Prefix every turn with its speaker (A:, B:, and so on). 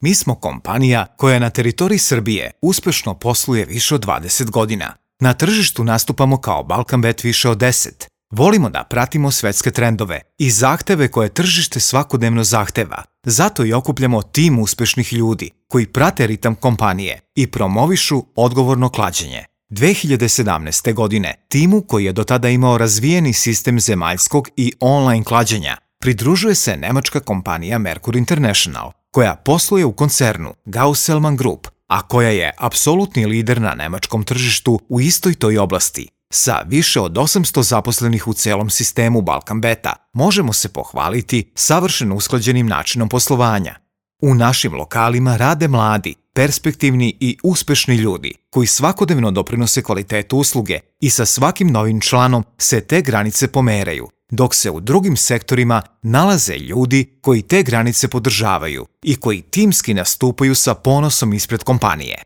A: Mi smo kompanija koja na teritoriji Srbije uspešno posluje više od 20 godina. Na tržištu nastupamo kao Balkanbet više od 10. Volimo da pratimo svetske trendove i zahteve koje tržište svakodnevno zahteva. Zato i okupljamo tim uspešnih ljudi koji prate ritam kompanije i promovišu odgovorno klađenje. 2017. godine timu koji je do tada imao razvijeni sistem zemaljskog i online klađenja pridružuje se nemačka kompanija Merkur International, koja posluje u koncernu Gauselmann Group, a koja je apsolutni lider na nemačkom tržištu u istoj toj oblasti. Sa više od 800 zaposlenih u celom sistemu Balkanbeta možemo se pohvaliti savršeno usklađenim načinom poslovanja. U našim lokalima rade mladi, perspektivni i uspešni ljudi koji svakodnevno doprinose kvalitetu usluge i sa svakim novim članom se te granice pomeraju, dok se u drugim sektorima nalaze ljudi koji te granice podržavaju i koji timski nastupaju sa ponosom ispred kompanije.